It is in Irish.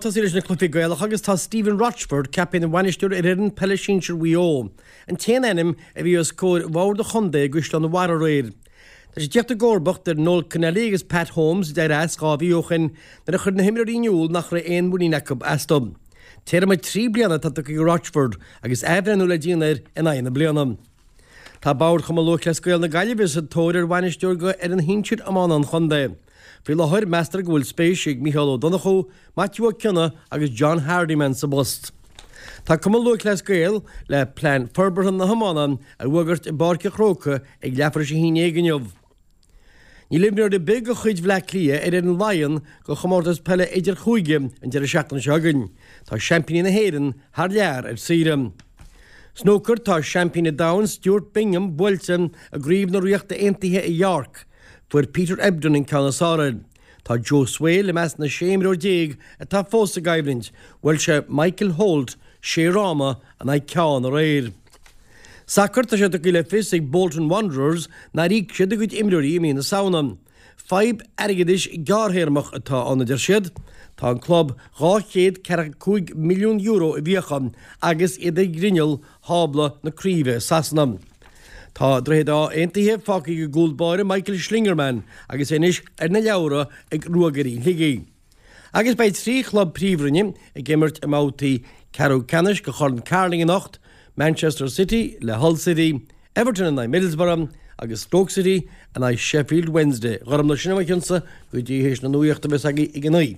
tosaí leis na cluichí Gaelacha agus tá Stephen Rochford ceaptha ina bhainisteoir ar fhoireann peile sinsir Mhaigh Eo, an t-aon ainm a bhí os comhair bhord an chontae i gCaisleán an Bharraigh aréir. Tá sé ag tíocht i gcomharbacht ar Noel Connelly agus Pat Holmes a d'éirigh as 2 mhí ó shin nuair a chuir na himreoirí in iúl nach raibh aon mhuinín acu astu. Téarma 3 bliana atá tugtha do Rochford agus athbhreithniú le déanamh air in aghaidh na bliana. Tá Bord Chumann Lúthchleas Gael na Gaillimhe sa tóir ar bhainisteoir do fhoireann shinsir iomána an chontae. Faoi láthair, meastar go bhfuil spéis ag Mícheál Ó Donnchú, Maitiú Ó Cionnaith agus John Hardiman sa bpost. Tá Cumann Lúthchleas Gael le plean forbartha na hiomána a fhógairt i bPáirc an Chrócaigh ag leathuair tar éis a haon déag inniu. Níl imreoir ar bith de chuid Bhleá Cliath ar fhoireann Laighean do chomórtas peile idirchúige an deireadh seachtaine seo chugainn. Tá seaimpíní na hÉireann thar lear ar saoire. Snúcar, Tá seaimpín an domhain Stuart Bingham buailte i gCraobh na Ríochta Aontaithe i York. Fuair Peter Ebdon an ceann is fearr air. Tá Joe Swail i measc na 16 imreoir atá fós sa gcoimhlint. Bhuail sé Michael Holt sé fhráma in aghaidh ceann aréir. Sacar, Tá sé tugtha le fios ag Bolton Wanderers nár íoc siad a gcuid imreoirí i mí na Samhna. Fadhb airgeadais gearrthéarmach atá ann, a deir siad. Tá an club €245 milliún i bhfiacha agus iad ag grinneall thábla na craoibhe i Sasana. Tá Droichead Átha aontaithe fágtha ag an gcúl báire Michael Schlingermann agus é anois ar na leabhra ag Ruagairí Shligigh. Agus beidh 3 chlub príomhroinne ag imirt i mbabhtaí ceathrú ceannais de Chorn Carling anocht, Manchester City le Hull City, Everton in aghaidh Middlesbrough agus Stoke City in aghaidh Sheffield Wednesday. Gormfhlaith, sin é mo chionsa go dtí théis na nuachta a bheas agaibh ag a 9.